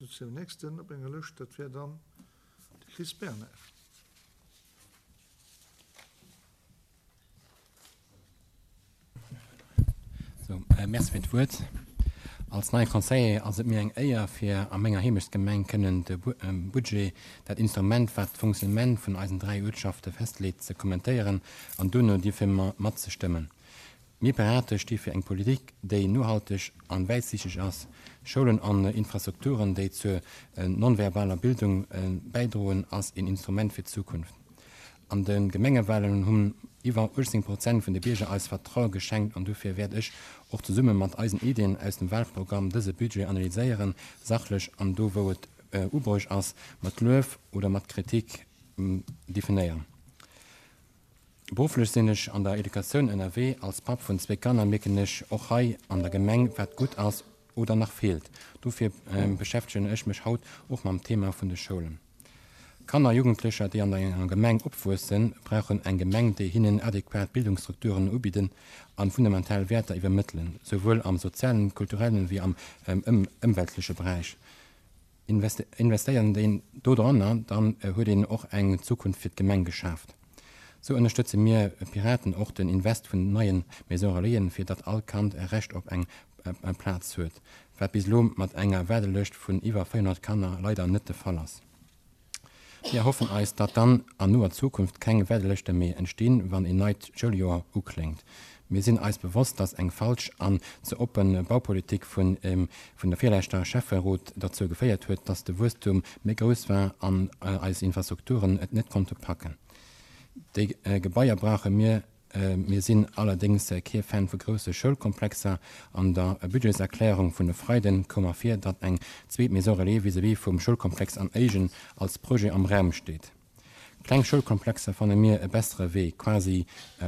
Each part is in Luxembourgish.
Sou nächsten op enger Lëscht, dat wär dann de Chris Bernard. Sou, Merci fir d'Wuert. Als neie Conseiller ass et mir eng Éier, fir a menger Heemechtsgemeng kënnen de Budget, dat Instrument, wat d'Fonctionnement vun eisen 3 Uertschafte festleet, ze kommentéieren an duerno dierfir matzestëmmen. Mir Pirate sti fir eng Politik, déi nohalteg an wäitsiichteg ass. Schoulen an Infrastrukturen, déi zur nonverbaler Bildung bäidroen, ass een Instrument fir d'Zukunft. An de Gemengewahlen hunn iwwer 18 Prozent vun de Bierger eis Vertraue geschenkt an dofir wäert ech och zesumme mat eisen Iddien aus dem Wahlprogramm dëse Budget analyséieren, sachlech an do wou et ubruecht ass, mat Luef oder mat Kritik definéieren. Berufflech sinn ech an der Educatioun ënnerwee. Als Papp vun zwéi Kanner mierken ech och hei an der Gemeng wat gutt ass oder nach feelt. Dofir beschäftegen ech mech haut och mam Thema vun de Schoulen. Kanner a Jugendlecher, déi an enger Gemeng opwuessen, brauchen eng Gemeng, déi hinnen adequat Bildungsstrukturen ubidden an fundamental Wäerter iwwermëttelen, souwuel am sozialen, kulturellen wéi am ëmweltleche Beräich. Investéiert een dodranner, dann huet een och eng Zukunft fir d'Gemeng geschaaft. Sou ënnerstëtze mir Piraten och den Invest vun neien Maison Relaisen, fir datt all Kand e Recht op eng Plaz huet, wat bis elo mat enger Waardelëscht vun iwwer 400 Kanner leider net de Fall ass. Mir erhoffen eis, datt dann an noer Zukunft keng Waardelëschte méi entstinn, wann een neit Schouljoer ukléngt. Mir sinn eis bewosst, datt eng falsch an ze oppe Baupolitik vun der virleschter Schäfferot derzou geféiert huet, datt de Wuesstum méi grouss war an eis Infrastrukturen et net konnte packen. Déi Gebaier brauche mir. Mir sinn allerdéngs kee Fan vu grousse Schoulkomplexer. An der Budgetserklärung vun e Freiden koum ervir, datt eng zweet Maison relais vis-à-vis vum Schoulkomplex an Éigen als Projet am Raum steet. Kleng Schoulkomplexer fanne mir e bessere Wee, quasi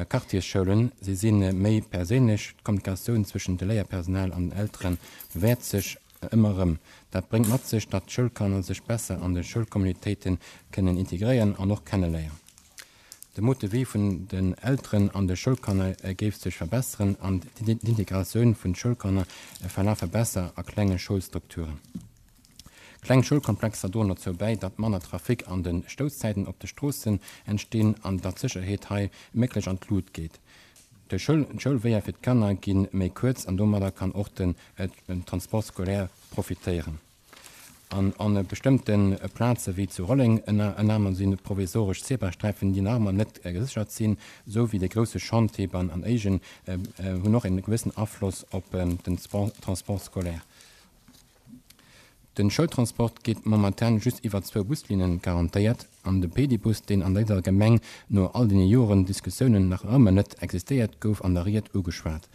Quartiersschoulen. Si si méi perséinlech, d'Kommunikatioun zwëschent de Léierpersonal an den Eltere bewäert sech ëmmer erëm. Dat bréngt mat sech, datt d'Schoulkanner sech besser an de Schoulcommunautéite kënnen integréieren an och kenneléieren. De Mode de vie vun den Elteren an de Schoulkanner géif sech verbesseren an d'Integratioun vun Schoulkanner verlafe besser a klenge Schoulstrukturen. Kleng Schoulkomplexer droen dozou bäi, datt manner Trafic an de Stousszäiten op de Stroossen entstinn an datt d'Sécherheet hei méglech an d'Lut geet. D'Schoulweeër fir d'Kanner gi méi kuerz an domadder kann och den Transport scolaire profitéieren. An an bestëmmte Plaze wéi zu Rolleng ënner anerem si provisoresch Zebrasträifen, déi nach ëmmer net geséchert sinn, esou wéi de grousse Chantier beim an Éigen hunn och en gewëssen Afloss op den Transport scolaire. Den Schoultransport gétt momentan just iwwer zwou Buslinnen garantéiert an de Pedibus, deen an dëser Gemeng no all deene Joren Diskussiounen nach ëmmer net existéiert, gouf an der Ried ugeschwat.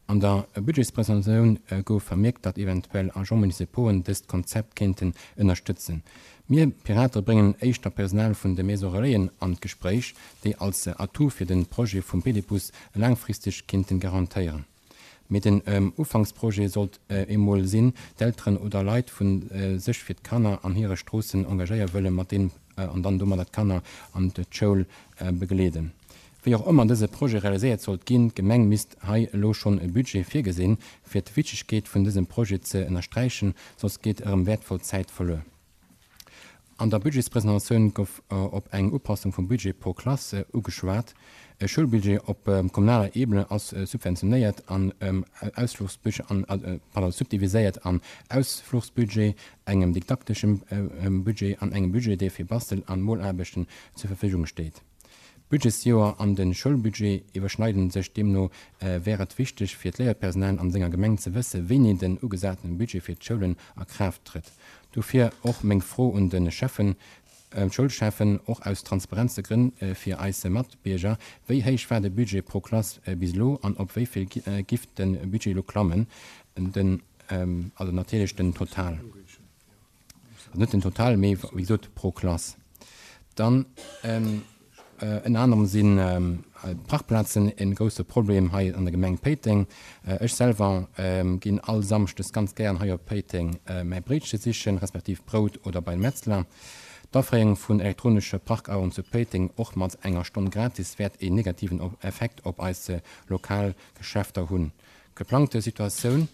An der Budgetspresentatioun gouf vermierkt, datt eventuell Agents municipauxen dëst Konzept kéinten ënnerstëtzen. Mir Pirate bréngen éischter d'Personal vun de Maisons Relaisen an d'Gespréich, déi als Atout fir de Projet vum Pedibus laangfristeg kéinten garantéieren. Mee den Ufanksprojet sollt emol sinn, d'Elteren oder Leit vu sech fir d'Kanner an hire Stroossen engagéiere wëlle mat deem an dann domadder d'Kanner an d'Schoul begleeden. Wéi och ëmmer dëse Projet realiséiert sollt ginn, d'Gemeng misst hei elo schonn e Budget virgesinn, fir d'Wichtegkeet vun dësem Projet ze ënnersträichen, soss geet erëm wäertvoll Zäit verluer. An der Budgetspresentatioun gouf op eng Upassung vum Budget pro Klass ugeschwat. E Schoulbudget op kommunaler Ebene ass subventionéiert an Ausfluchsbudget an, pardon, subdiviséiert an Ausfluchsbudget, engem didakteschem Budget an engem Budget, dee fir Bastel an Molaarbechten zur Verfügung steet. D'Budgetsjoer an de Schoulbudget iwwerschneiden sech, deemno wär et wichteg fir d'Léierpersonal an senger Gemeng ze wësse wéini den ugesatene Budget fir d'Schoulen a Kraaft trëtt. Dofir och meng Fro un de Schäffen, d'Schoulschäffen, och aus Transparenzegrënn fir eis Matbierger, Wéi héich war de Budget pro Klass bis elo an op wéi vill giff de Budget elo klammen, den, also natierlech den Total? Also net den Total, mee wéi gesot pro Klass. Dann ënner anerem si Parkplazen e grousse Problem hei an der Gemeng Péiteng. Ech selwer ginn all Samschdes ganz gären hei op Péiteng mäi Bréitche sichen, respektiv Brout oder bei de Metzler. D'Aféierung vun elektronesche Parkaueren zu Péiteng, och mat enger Stonn gratis, wäert een negativen Effekt op eis lokal Geschäfter hunn. D'geplangte Situatioun.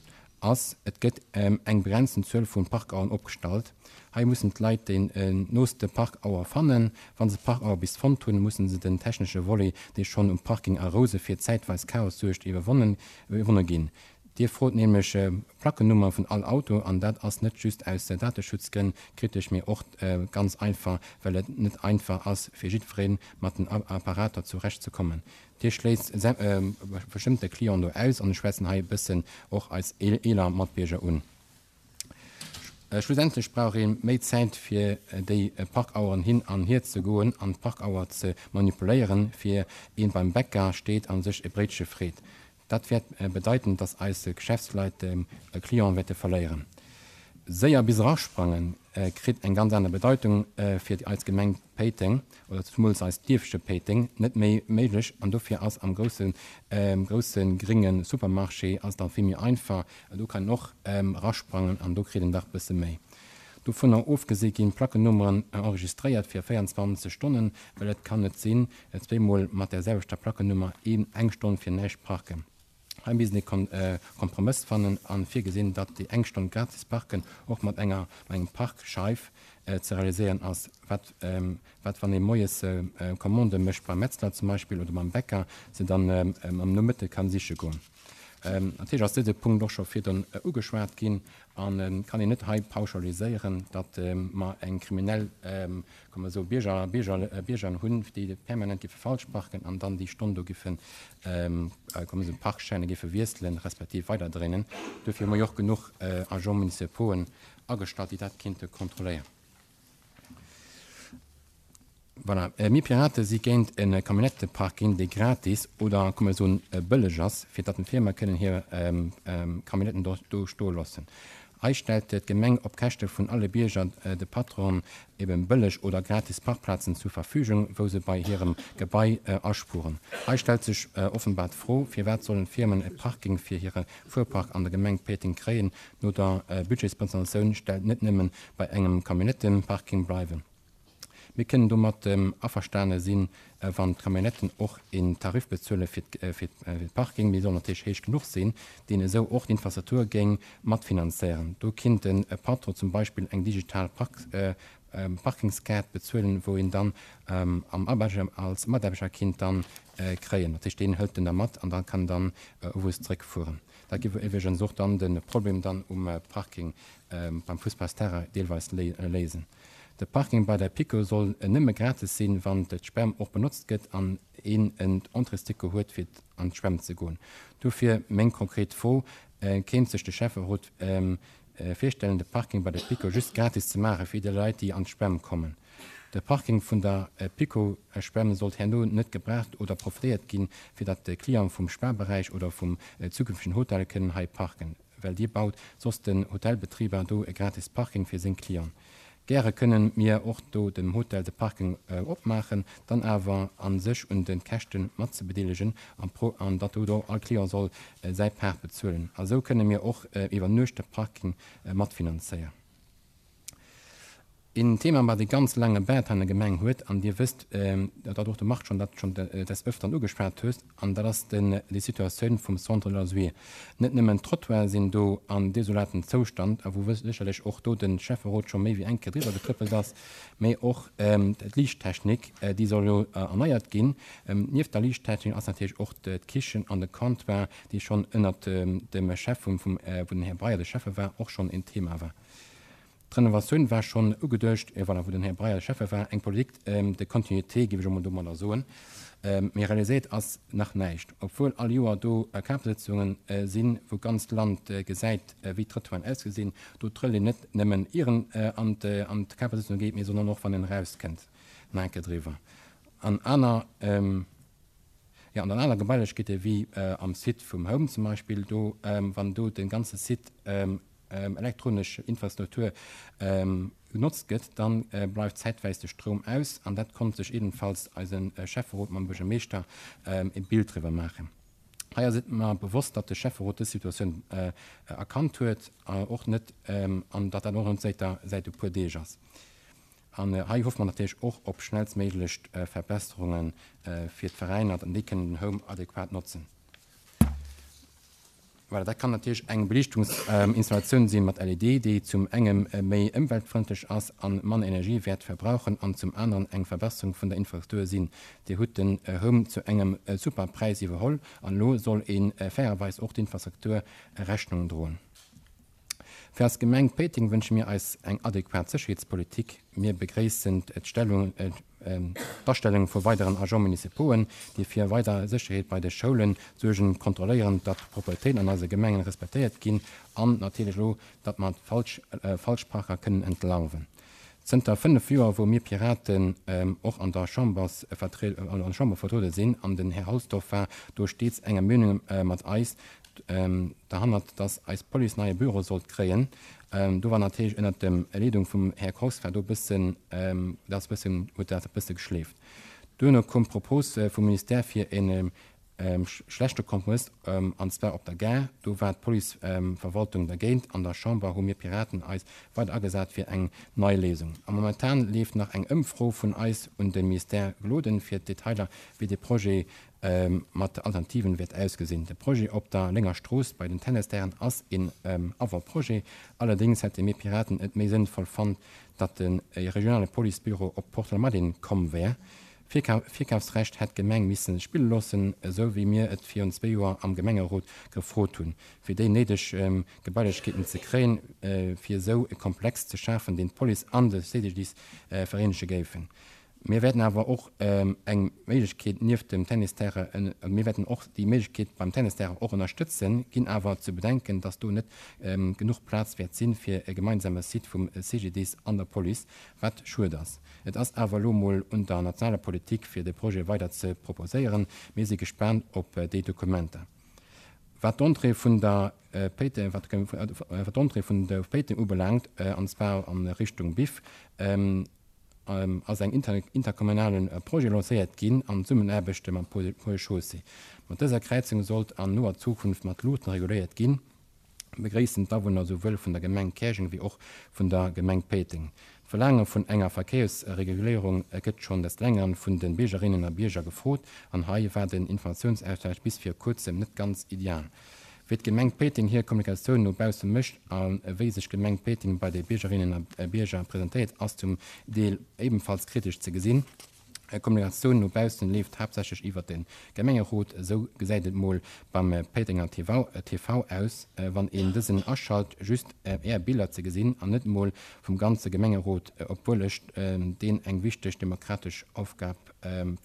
Ass, et gëtt eng begrenzten Zuel vu Parkaueren opgestallt. Hei mussen d'Leit déi nooste Parkauer fannen. Wa se d'Parkauer bis fonnt hunn, mussen se den technesche Volet, dee schonn um Parking A Rouse fir zäitweis Chaos suergt, iwwerwonne ginn. Dir frot nämlech d'Plackennummer vun all Auto an dat ass net just aus Dateschutzgrënn kritesch, mee och ganz einfach, well et net einfach ass fir jiddweree mat den Apparater zurecht ze kommen. Dir schléisst bestëmmte Clienten do aus an ech schwätzen hei e bëssen och eis eeler Matbierger un. Schlussendlech brauch ee méi Zäit fir déi Parkaueren hin an hier ze goen an d'Parkauer ze manipuléieren, fir ee beim Bäcker steet a sech e Bréitche freet. Dat wäert bedeiten, dass eis Geschäftsleit Clienten wäerte verléieren. Séier bis erasprangen kritt eng ganz aner Bedeitung fir eis Gemeng Péiteng oder zemools eist Dierfche Péiteng net méi méiglech an dofir ass am grousse grousse gringe Supermarché ass dann vill méi einfach, do kann een och erasprangen an do kritt een dach bësse méi. Dovunner ofgesi ginn d'Plackennummeren enregistréiert fir 24 Stonnen, well et kann net sinn, zweemol mat där selwechter Plackennummer een eng Stonn fir näischt parken. Hei misst ee Kompromëss fannen a virgesinn, datt déi eng Stonn gratis parken och mat enger mat engem Parkscheif ze realiséieren ass. Wat wat wann ee moies Commandë mécht beim Metzler zum Beispill oder beim Bäcker, se dann am Nomëtte kann siche goen. Natierlech ass dëse Punkt och scho virdrun ugeschwat ginn a kann een net hei pauschaliséieren, datt mer eng kriminell, kann mer soen, Bierger, Bierger, Bierger hunn, déi permanent géife falsch parken an dann déi Stonn do géifen, kann mer soen, Parkschäine géife wiesselen, respektiv weiderdréinen. Dofir hu mer jo och genuch Agents municipauxen agestallt, déi dat kéinte kontrolléieren. Voilà, mir Pirate si géint e Camionnetteparking, dee gratis oder, komm mir soen, bëlleg ass, fir datt d'Firme kënnen hir Camionnetten do stoe loossen. Hei stellt d'Gemeng op Käschte vun alle Bierger, de Patronen, eben bëlleg oder gratis Parkplazen zur Verfügung, wou se bei hirem Gebai aspueren. Hei stellt sech offenbar d'Fro, Firwat sollen d'Firmen e Parking fir hire Fuerpark an der Gemeng Péiteng kréien, no der Budgetspresentatioun stellt net nëmmen bei engem Camionnetteparking bleiwen? Mir kënnen domat averstane sinn, wann d'Camionnetten och een Tarif bezuele fir de Parking, mee soll natierlech héich genuch sinn, deen esou och d'Infrastruktur géing matfinanzéieren. Do kinnt de Patron zum Beispill eng digital Parkingskaart bezuelen, wou een dann am als Mataarbechter kinnt dann kréien. Dat heescht, deen hëlt en da mat an da kann en dann owes zréckfueren. Dat géif iwwregens och dann de Problem dann um Parking beim Fussballsterrain deelweis léisen. De Parking bei der Pico soll nëmme gratis sinn, wann d'Schwämm och benotzt gëtt an een en Entréesticket huet fir an d'Schwämm ze goen. Dofir meng konkret Fro, Kéint sech de Schäfferot virstellen, de Parking bei der Pico just gratis ze maache fir déi Leit, déi an d'Schwämm kommen? De Parking vun der Pico-Schwämm sollt herno net gebraucht oder profitéiert ginn, fir datt d'Cliente vum Spa-Beräich oder vum zukünftegen Hotel kënnen hei parken. Well dir baut soss den Hotelbetriber do e gratis Parking fir seng Clienten. Gäre kënnen mir och do dem Hotel de Parking opmaachen, dann awer an sech un den Käschten matzebedeelegen an pro an datt do all Client soll säi Part bezuelen. A sou kënnen mir och iwwer Nuecht de Parking matfinanzéier. Een Thema, wat e ganz laange Baart an der Gemeng huet, an Dir wësst, datt och de Marc schonn dat schonn des Öfteren ugeschwat huet, an dat ass den, déi Situatioun vum Centre de loisirs. Net nëmmen d'Trottoiren sinn do an desolatem Zoustand, a wou sécherlech och do de Schäfferot scho méi wéi eng Kéier driwwer getrëppelt ass, mä och d'Liichttechnik, déi soll jo erneiert ginn. Nieft der Liichttechnik ass natierlech och d'Kichen an de Comptoir, déi schonn ënnert dem Chef vum, wou den Här Breyer de Schäffe war, och schonn en Thema war. D'Renovatioun war schonn ugeduecht, voilà, wou den Här Breyer Schäffe war, eng Politique de continuité, géif ech emol domadder soen. Mee realiséiert ass nach näischt, obwuel all Joer do Kapersëtzunge sinn, wou d'ganzt Land gesäit, wéi d'Trottoiren ausgesinn. Do trëllt een net nëmmen ier en an d'Kapersëtzung geet, mee sondern och wann en erauskënnt, nach eng Kéier driwwer. An aner, jo, an an aner Gebailechkeete wéi am Site vum Home zum Beispill, do, wann do de ganze Site elektronesch Infrastruktur genotzt gëtt, da bleift zäitwäis de Stroum aus. An dat konnt sech ebenfalls eise Schäfferot mam Buergermeeschter e Bild driwwer maachen. Hei ass et mer bewosst, datt de Schäfferot dës Situatioun erkannt huet och net an datt dat och net säit e puer Deeg ass. An hei hoffe mer natierlech och op schnellstméiglech Verbesserunge fir d'Veräiner, datt déi kënnen den Home adequat notzen. Voilà, dat kann natierlech eng Beliichtungsinstallatioun si mat LED, déi zum engem méi ëmweltfrëndlech ass a manner Energie wäert verbrauchen an zum aneren eng Verbesserung vun der Infrastruktur sinn. Dir hutt den Home zu engem super Präis iwwerholl an elo soll ee fairerweis och d'Infrastruktur Rechnung droen. Fir eis Gemeng Péiteng wënsche mir eis eng adequat Sécherheetspolitik. Mir begréissen d'Astellung vu weideren Agents municipauxen, déi fir weider Sécherheet bei de Schoule suergen, kontrolléieren, datt d'Propretéiten an eise Gemengen respektéiert ginn an natierlech elo, datt mer d'Falschparker kënnen entlarven. Zënter 5 Joer, wou mir Piraten och an der Chamber vertruede sinn, an den Här Halsdorf war do stets enger Meenung mat eis derhannert, dass eis Police neie Büro sollt kréien, do war natierlech ënnert dem Leedung vum Här Kox war do e bëssen, dat ass e bëssen, huet dat e bësse geschleeft. Duerno koum d'Propos vum Ministère fir e Schlechte Kompromëss, an zwar op der Gare. Do war d'Policeverwaltung dergéint. An der Chamber hu mir Piraten eis weider agesat fir eng nei Léisung. A momentan leeft nach eng Ëmfro vun eis un de Ministère Gloden fir d'Detailer wéi de Projet mat Alternativen wäert ausgesinn. De Projet op der Lénger Strooss bei den Tennisterrainen ass een Avant-projet. Allerdéngs hätte mir Piraten et méi sënnvoll fonnt, datt de regionale Policebüro op Porte-la-Madeleine komm wär. Virkafsrecht hätt d'Gemeng misse spille loossen, esou wéi mir et virun zwéi Joer am Gemengerot gefrot hunn, fir déi néideg Gebailechkeeten ze kréien, fir esou e Komplex ze schafen, deen d'Police an de CGDIS vereenege géifen. Mir wäerten awer och eng Méiglechkeet nieft dem Tennisterrain, mir wäerten och déi Méiglechkeet beim Tennisterrain och ënnerstëtzen, ginn awer ze bedenken, dass do net genuch Plaz wäert sinn, fir e gemeinsame Site vum CGDIS an der Police, wat schued ass. Et ass awer elo mol un der nationaler Politik, fir de Projet weider ze proposéieren. Mir si gespaant op déi Dokumenter. Wat d'Entrée vun der Péiteng, wat d'Entrée vun der Péiteng ubelaangt, an zwar a Richtung Biff, ass eng interkommunale Projet lancéiert ginn an Zesummenaarbecht mam Pôle Chaussée. Mat dëser Kräizung sollt an noer Zukunft mat Luuchten reguléiert ginn. Begréissen d'Awunner souwuel vun der Gemeng Käerjeng wéi och vun der Gemeng Péiteng. D'Verlaange vun enger Verkéiersreguléierung gëtt schonn des Längeren vun de Biergerinnen a Bierger gefrot an hei war den Informatiounsaustausch bis vir kuerzem net ganz ideal. Wéi d'Gemeng Péiteng hir Kommunikatioun no bausse mécht a wéi sech d'Gemeng Péiteng bei de Biergerinnen a Bierger presentéiert ass zum Deel ebenfalls kritesch ze gesinn. Kommunikatioun no baussen leeft haaptsächlech iwwert de Gemengerot. Esou gesäit et mol beim Péitenger TV aus, wann een dësen aschalt, just är Biller ze gesinn an net mol vum ganze Gemengerot, obwuel ech deen eng wichteg demokratesch Aufgab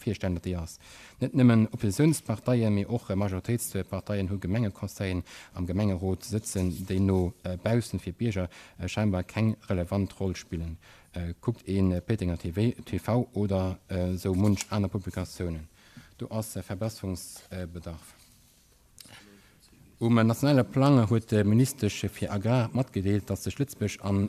virstellen, datt déi ass. Net nëmmen Oppositiounsparteien, mee och Majoritéitsparteien hu Gemengeconseillen am Gemengerot sëtzen, déi no baussen fir d'Bierger scheinbar keng relevant Roll spillen. Kuckt een Péitenger TV oder sou munch aner Publikatiounen. Do ass Verbesserungsbedarf. Um nationale Plang huet d'Ministesch fir Agrar matgedeelt, datt sech Lëtzebuerg an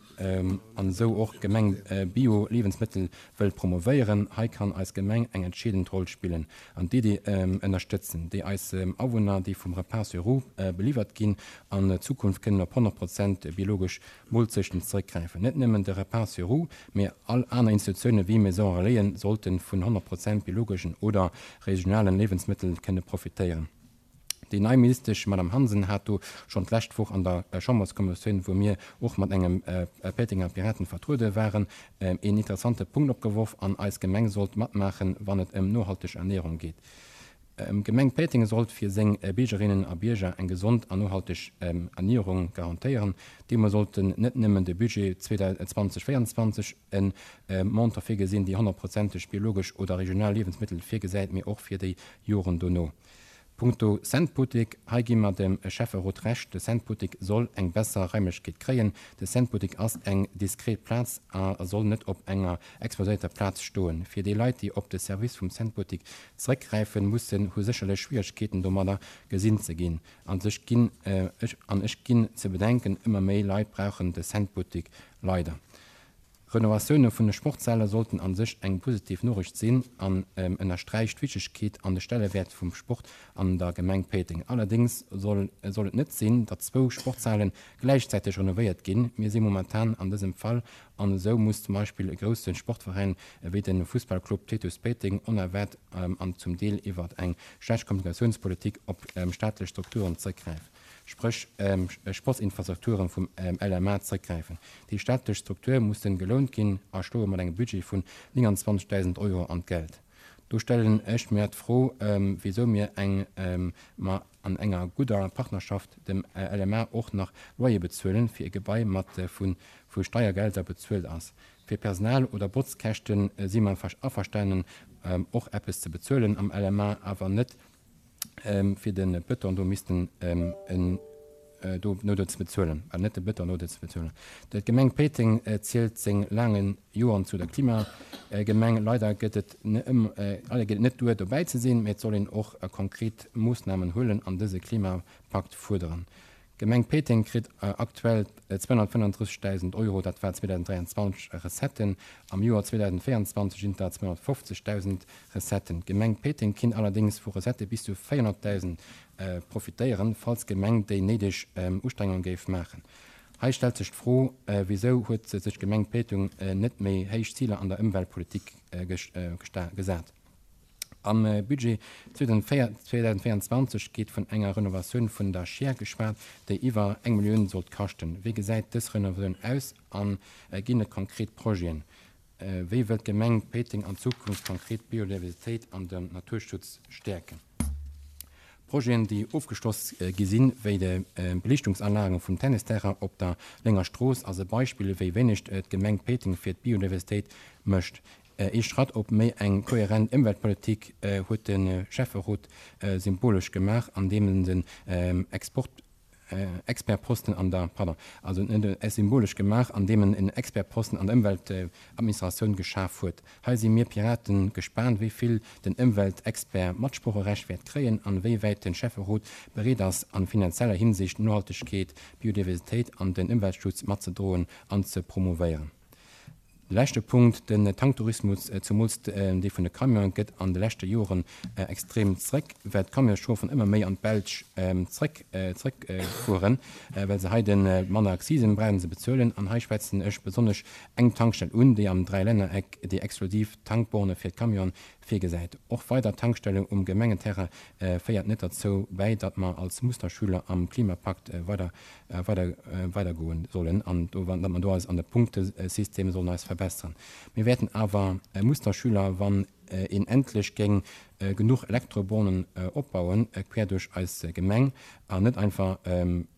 an esou och d'Gemeng Bio-Liewensmëttel wëll promovéieren. Hei kann eis Gemeng eng entscheedend Roll spillen an d'Iddi ënnerstëtzen, déi eis Awunner, déi vum Repas sur roues beliwwert ginn, an Zukunft kënnen op 100 Prozent biologesch Moolzechten zeréckgräifen. Net nëmmen de Repas sur roues, mee all aner Institutioune wéi Maison Relaisen sollte vun 100 Prozent biologeschen oder regionalen Liewensmëttel kënne profitéieren. Déi nei Ministesch Madame Hansen hat do schonn d'lescht Woch an der Chamberskommissioun, wou mir och mat engem Péitenger Piraten vertruede waren, een interessante Punkt opgeworf an eis Gemeng sollt matmaachen, wann et ëm nohalteg Ernierung geet. D'Gemeng Péiteng sollt fir seng Biergerinnen a Bierger eng gesond an nohalteg Ernierung garantéieren. Deemno sollten net nëmmen de Budget 2024 e Montant virgesinn, déi honnertprozenteg biologesch oder regional Liewensmëttel virgesäit, mee och fir déi Joren dono. Punkto Centbuttek, hei gi mer dem Schäfferot Recht, de Centbuttek soll eng besser Raimlechkeet kréien. De Centbuttek ass eng diskret Plaz a soll net op enger exposéierter Plaz stoen. Fir déi Leit, déi op de Service vum Centbuttek Zeréckgräifen mussen, hu sécherlech Schwieregkeeten domadder gesinn ze ginn. An sech ginn ech an ech ginn ze bedenken, ëmmer méi Leit brauchen de Centbuttek leider. Renovatioune vun de Sportsäler sollten an sech eng positiv Noriicht sinn an ënnersträicht d'Wichtegkeet an de Stellewäert vum Sport an der Gemeng Péiteng. Allerdéngs soll et net sinn, datt zwou Sportsale gläichzäiteg renovéiert ginn. Mir si momentan an dësem Fall An esou muss zum Beispill e grousse Sportveräin ewéi de Fussballclub Titus Péiteng onerwaart an zum Deel iwwert eng schlecht Kommunikatiounspolitik op staatlech Strukturen zréckgräifen. Spréch Sportsinfrastrukturen vum LMA zréckgräifen. Déi staatlech Strukture mussen gelount ginn a schloe mat engem Budget vun 29.000 Euro an d'Geld. Do stellen ech mir d'Fro, wéisou mir eng mer an enger gudder Partnerschaft dem LMA och nach Loyer bezuelen, fir e Gebai mat vu vu Steiergelder bezuelt ass. Fir Personal oder Botzkäschte si mer averstanen och eppes ze bezuelen am LMA, awer net fir de Bëton do missten en do no do ze bezuelen, well net de Bëton no do ze bezuelen. D'Gemeng Péiteng zielt seng laange Joren zu der Klimagemeng. Leider gëtt et leider geet et net duer dobäi ze sinn, mee et soll een och konkret Moossnamen huelen an dëse Klimapakt fuerderen. D'Gemeng Péiteng kritt aktuell 235.000 Euro, dat war 2023, Recetten. Am Joer 2024 sinn et der 250.000 Recetten. D'Gemeng Péiteng kinnt allerdéngs vu Recettë bis zu 400.000 profitéieren, falls d'Gemeng déi néideg Ustrengunge géif maachen. Hei stellt sech d'Fro, Wisou huet sech d'Gemeng Péiteng net méi héich Ziler an der Ëmweltpolitik gesat? Am Budget 2024 geet vun enger Renovatioun vun der Schier geschwat, déi iwwer eng Millioun sollt kaschten. Wéi gesäit dës Renovatioun aus a ginn et konkret Projeten? Wéi wëllt d'Gemeng Péiteng an Zukunft konkret d'Biodiversitéit an den Naturschutz stäerken? Projeten, déi ofgeschloss gi sinn, wéi de Beliichtungsanlagen vum Tennisterrain op der Lénger Strooss, ass e Beispill, wéi wéineg d'Gemeng Péiteng fir d'Biodiversitéit mécht. Ee Schratt op méi eng kohärent Ëmweltpolitik huet de Schäfferot symbolesch gemaach, andeem en den Export Expertposten an der, pardon, also en huet symbolesch gemaach, andeem en en Expertposten an der Ëmweltadministratioun geschaf huet. Hei si mir Piraten gespaant, wéi vill den Ëmweltexpert Matsproocherecht wäert kréien an wéi wäit de Schäfferot bereet ass, an finanzieller Hinsicht Nohaltegkeet, Biodiversitéit an den Ëmweltschutz matzedroen an ze promouvéieren. De leschte Punkt, den Tanktourismus, zumools dee vun de Camionen, gëtt an de leschte Joren extrem zréck, well d'Camionschauferen ëmmer méi an d'Belsch zréck zréckfueren, well se hei de manner Accisen brauchen ze bezuelen. An hei schwätzen ech besonnesch eng Tankstell un, déi am Dräilännereck déi exklusiv Tankborne fir d'Camionen virgesäit. Och weider Tankstellen um Gemengenterrain féiert net derzou bäi, datt mer als Musterschüler am Klimapakt weider weider weidergoen sollen an do datt mer do eis an de Punktesystem sollen eis verbessern. Mir wäerten awer Musterschüler, wann een endlech géing genuch Elektrobornen opbauen, quer duerch eis Gemeng, an net einfach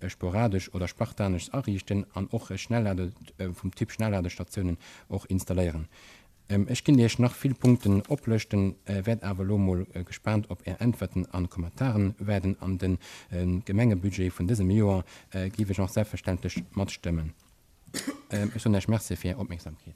sporadesch oder spartanesch ariichten an och Schnelllade vum Typ Schnellladestatiounen och installéieren. Ech kinnt iech nach vill Punkten oplëschten, wäert awer elo mol gespaant op är Äntwerten an Kommentaren waarden. An den Gemengebudget vun dësem Joer giff ech och selbstverständlech matstëmmen. Ech soen iech Merci fir är Opmierksamkeet.